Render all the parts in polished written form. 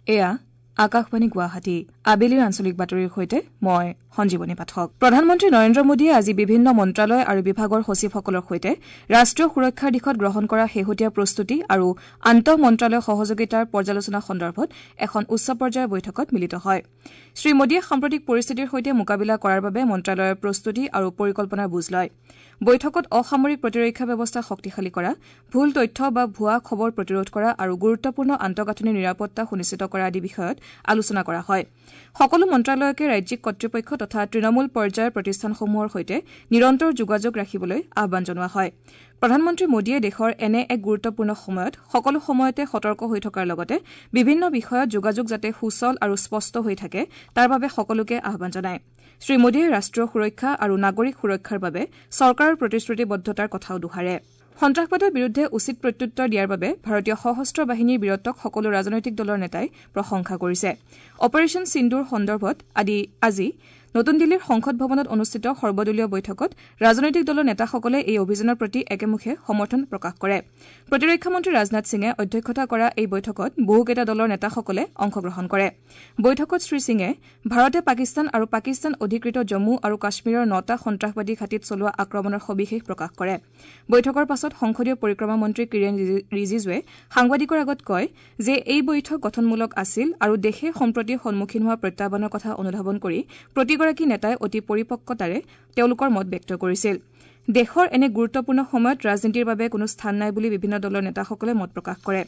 এয়া আকাশবাণী গুৱাহাটী। আবেলিৰ আঞ্চলিক বাতৰিৰ সৈতে মই সঞ্জীৱনী পাঠক। প্ৰধানমন্ত্ৰী নৰেন্দ্ৰ মোদীয়ে আজি বিভিন্ন মন্ত্ৰালয় আৰু বিভাগৰ সচিবসকলৰ সৈতে ৰাষ্ট্ৰীয় সুৰক্ষাৰ দিশত গ্ৰহণ কৰা শেহতীয়া প্ৰস্তুতি আৰু আন্তঃমন্ত্ৰালয় সহযোগিতাৰ পৰ্যালোচনা সন্দৰ্ভত এখন উচ্চ পৰ্যায়ৰ বৈঠকত মিলিত হয়। শ্ৰীমোদীয়ে সাম্প্ৰতিক পৰিস্থিতিৰ সৈতে মোকাবিলা কৰাৰ বাবে মন্ত্ৰালয়ৰ প্ৰস্তুতি আৰু পৰিকল্পনাৰ বুজ লয়। বৈঠকত অসামৰিক প্ৰতিৰক্ষা ব্যৱস্থা শক্তিশালী কৰা, ভুল তথ্য বা ভুৱা খবৰ প্ৰতিৰোধ কৰা আৰু গুৰুত্বপূৰ্ণ আন্তঃগাঁথনিৰ নিৰাপত্তা সুনিশ্চিত কৰা আদি বিষয়ত আলোচনা কৰা হয়। সকলো মন্ত্ৰালয়কে ৰাজ্যিক কৰ্তৃপক্ষ তথা তৃণমূল পৰ্যায়ৰ প্ৰতিষ্ঠানসমূহৰ সৈতে নিৰন্তৰ যোগাযোগ ৰাখিবলৈ আহ্বান জনোৱা হয়। প্ৰধানমন্ত্ৰী মোদীয়ে দেশৰ এনে এক গুৰুত্বপূৰ্ণ সময়ত সকলো সময়তে সতৰ্ক হৈ থকাৰ লগতে বিভিন্ন বিষয়ত যোগাযোগ যাতে সুচল আৰু স্পষ্ট হৈ থাকে তাৰ বাবে সকলোকে আহ্বান জনায়। শ্ৰীমোদীয়ে ৰাষ্ট্ৰীয় সুৰক্ষা আৰু নাগৰিক সুৰক্ষাৰ বাবে চৰকাৰৰ প্ৰতিশ্ৰুতিবদ্ধতাৰ কথাও দোহাৰে। সন্ত্ৰাসবাদৰ বিৰুদ্ধে উচিত প্ৰত্যুত্তৰ দিয়াৰ বাবে ভাৰতীয় সশস্ত্ৰ বাহিনীৰ বীৰত্বক সকলো ৰাজনৈতিক দলৰ নেতাই প্ৰশংসা কৰিছে। অপাৰেশ্যন সিন্দুৰ সন্দৰ্ভত আজি নতুন দিল্লীৰ সংসদ ভৱনত অনুষ্ঠিত সৰ্বদলীয় বৈঠকত ৰাজনৈতিক দলৰ নেতাসকলে এই অভিযানৰ প্ৰতি একেমুখে সমৰ্থন প্ৰকাশ কৰে। প্ৰতিৰক্ষা মন্ত্ৰী ৰাজনাথ সিঙে অধ্যক্ষতা কৰা এই বৈঠকত বহুকেইটা দলৰ নেতাসকলে অংশগ্ৰহণ কৰে। বৈঠকত শ্ৰীসিঙে ভাৰতে পাকিস্তান আৰু পাকিস্তান অধিকৃত জম্মু আৰু কাশ্মীৰৰ ৯টা সন্ত্ৰাসবাদী ঘাটিত চলোৱা আক্ৰমণৰ সবিশেষ প্ৰকাশ কৰে। বৈঠকৰ পাছত সংসদীয় পৰিক্ৰমা মন্ত্ৰী কিৰেণ ৰিজিজুৱে সাংবাদিকৰ আগত কয় যে এই বৈঠক গঠনমূলক আছিল আৰু দেশে সম্প্ৰতি সন্মুখীন হোৱা প্ৰত্যাহ্বানৰ কথা অনুধাৱন কৰি প্ৰতিগৰাকী নেতাই অতি পৰিপক্কতাৰে তেওঁলোকৰ মত ব্যক্ত কৰিছিল। দেশৰ এনে গুৰুত্বপূৰ্ণ সময়ত ৰাজনীতিৰ বাবে কোনো স্থান নাই বুলি বিভিন্ন দলৰ নেতাসকলে মত প্ৰকাশ কৰে।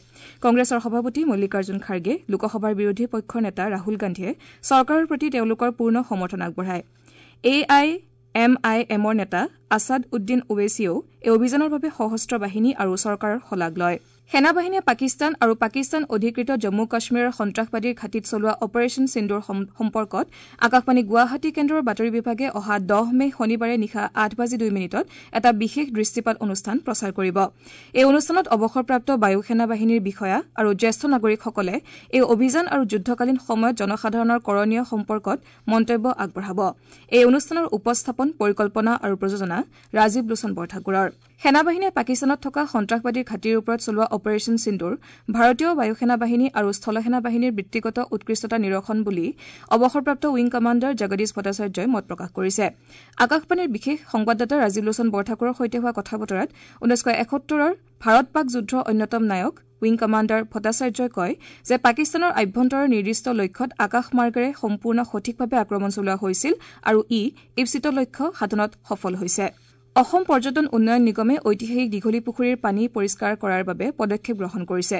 কংগ্ৰেছৰ সভাপতি মল্লিকাৰ্জুন খাৰ্গে, লোকসভাৰ বিৰোধী পক্ষৰ নেতা ৰাহুল গান্ধীয়ে চৰকাৰৰ প্ৰতি তেওঁলোকৰ পূৰ্ণ সমৰ্থন আগবঢ়ায়। এ I am আই এমৰ নেতা আছাদ উদ্দিন ওৱেছিয়েও এই অভিযানৰ বাবে সশস্ত্ৰ বাহিনী আৰু চৰকাৰৰ শলাগ লয়। সেনাবাহিনীয়ে পাকিস্তান আৰু পাকিস্তান অধিকৃত জম্মু কাশ্মীৰৰ সন্ত্ৰাসবাদীৰ ঘাটিত চলোৱা অপাৰেশ্যন সিন্দুৰ সম্পৰ্কত আকাশবাণী গুৱাহাটী কেন্দ্ৰৰ বাতৰি বিভাগে অহা ১০ মে শনিবাৰে নিশা ৮:০২ এটা বিশেষ দৃষ্টিপাত অনুষ্ঠান প্ৰচাৰ কৰিব। এই অনুষ্ঠানত অৱসৰপ্ৰাপ্ত বায়ুসেনা বাহিনীৰ বিষয়া আৰু জ্যেষ্ঠ নাগৰিকসকলে এই অভিযান আৰু যুদ্ধকালীন সময়ত জনসাধাৰণৰ কৰণীয় সম্পৰ্কত মন্তব্য আগবঢ়াব। এই অনুষ্ঠানৰ উপস্থাপন, পৰিকল্পনা আৰু প্ৰযোজনা ৰাজীৱ লোচন বৰঠাকুৰৰ। সেনাবাহিনীয়ে পাকিস্তানত থকা সন্ত্ৰাসবাদীৰ ঘাটিৰ ওপৰত চলোৱা অপাৰেশ্যন সিন্দুৰ ভাৰতীয় বায়ুসেনা বাহিনী আৰু স্থলসেনা বাহিনীৰ বৃত্তিগত উৎকৃষ্টতা নিৰসন বুলি অৱসৰপ্ৰাপ্ত উইং কমাণ্ডাৰ জগদীশ ভট্টাচাৰ্যই মত প্ৰকাশ কৰিছে। আকাশবাণীৰ বিশেষ সংবাদদাতা ৰাজীৱ লোচন বৰঠাকুৰৰ সৈতে হোৱা কথা বতৰাত ১৯৭১ৰ ভাৰত পাক যুদ্ধৰ অন্যতম নায়ক উইং কমাণ্ডাৰ ভট্টাচাৰ্যই কয় যে পাকিস্তানৰ আভ্যন্তৰৰ নিৰ্দিষ্ট লক্ষ্যত আকাশমাৰ্গেৰে সম্পূৰ্ণ সঠিকভাৱে আক্ৰমণ চলোৱা হৈছিল আৰু ই ঈপ্সিত লক্ষ্য সাধনত সফল হৈছে। অসম পৰ্যটন উন্নয়ন নিগমে ঐতিহাসিক দীঘলীপুখুৰীৰ পানী পৰিষ্কাৰ কৰাৰ বাবে পদক্ষেপ গ্ৰহণ কৰিছে।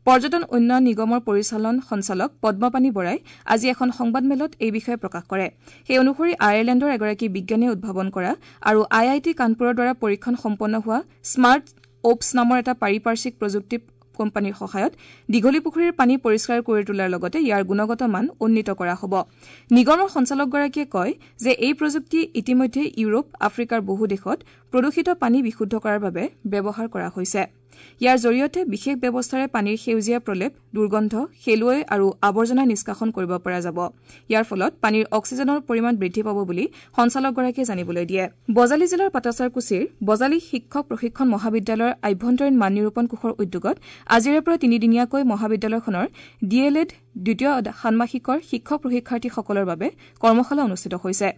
পৰ্যটন উন্নয়ন নিগমৰ পৰিচালন সঞ্চালক পদ্মপাণি বৰাই আজি এখন সংবাদমেলত এই বিষয়ে প্ৰকাশ কৰে। সেই অনুসৰি আয়াৰলেণ্ডৰ এগৰাকী বিজ্ঞানীয়ে উদ্ভাৱন কৰা আৰু আই I T কানপুৰৰ দ্বাৰা পৰীক্ষণ সম্পন্ন হোৱা স্মাৰ্ট অপছ নামৰ এটা পাৰিপাৰ্শ্বিক প্ৰযুক্তি কোম্পানীৰ সহায়ত দীঘলীপুখুৰীৰ পানী পৰিষ্কাৰ কৰি তোলাৰ লগতে ইয়াৰ গুণগত মান উন্নীত কৰা হ'ব। নিগমৰ সঞ্চালকগৰাকীয়ে কয় যে এই প্ৰযুক্তি ইতিমধ্যে ইউৰোপ, আফ্ৰিকাৰ বহু দেশত প্ৰদূষিত পানী বিশুদ্ধ কৰাৰ বাবে ব্যৱহাৰ কৰা হৈছে। ইয়াৰ জৰিয়তে বিশেষ ব্যৱস্থাৰে পানীৰ সেউজীয়া প্ৰলেপ, দুৰ্গন্ধ, শেলুৱৈ আৰু আৱৰ্জনা নিষ্কাশন কৰিব পৰা যাব। ইয়াৰ ফলত পানীৰ অক্সিজেনৰ পৰিমাণ বৃদ্ধি পাব বুলি সঞ্চালকগৰাকীয়ে জানিবলৈ দিয়ে। বজালী জিলাৰ পাটাছাৰকুছিৰ বজালী শিক্ষক প্ৰশিক্ষণ মহাবিদ্যালয়ৰ আভ্যন্তৰীণ মান নিৰূপণ কোষৰ উদ্যোগত আজিৰে পৰা তিনিদিনীয়াকৈ মহাবিদ্যালয়খনৰ ডি এল এড দ্বিতীয় ষাণ্মাসিকৰ শিক্ষক প্ৰশিক্ষাৰ্থীসকলৰ বাবে কৰ্মশালা অনুষ্ঠিত হৈছে।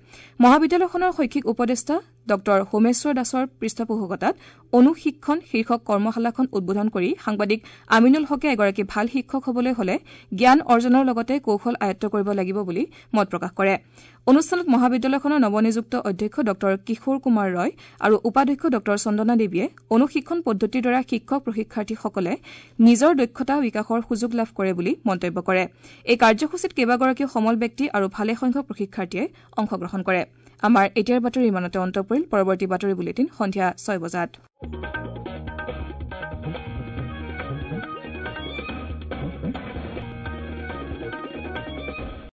মহাবিদ্যালয়খনৰ শৈক্ষিক উপদেষ্টা ডঃ হোমেশ্বৰ দাসৰ পৃষ্ঠপোষকতাত অনুশিক্ষণ শীৰ্ষক কৰ্মশালাখন উদ্বোধন কৰি সাংবাদিক আমিনুল হকে এগৰাকী ভাল শিক্ষক হ'বলৈ হ'লে জ্ঞান অৰ্জনৰ লগতে কৌশল আয়ত্ব কৰিব লাগিব বুলি মত প্ৰকাশ কৰে। অনুষ্ঠানত মহাবিদ্যালয়খনৰ নৱনিযুক্ত অধ্যক্ষ ডঃ কিশোৰ কুমাৰ ৰয় আৰু উপাধ্যক্ষ ডঃ চন্দনা দেৱীয়ে অনুশিক্ষণ পদ্ধতিৰ দ্বাৰা শিক্ষক প্ৰশিক্ষাৰ্থীসকলে নিজৰ দক্ষতা বিকাশৰ সুযোগ লাভ কৰে বুলি মন্তব্য কৰে। এই কাৰ্যসূচীত কেইবাগৰাকীও সমল ব্যক্তি আৰু ভালেসংখ্যক প্ৰশিক্ষাৰ্থীয়ে অংশগ্ৰহণ কৰে। আমাৰ এতিয়াৰ বাতৰি ইমানতে অন্ত পৰিল। পৰৱৰ্তী বাতৰি বুলেটিন সন্ধিয়া ৬ বজাত।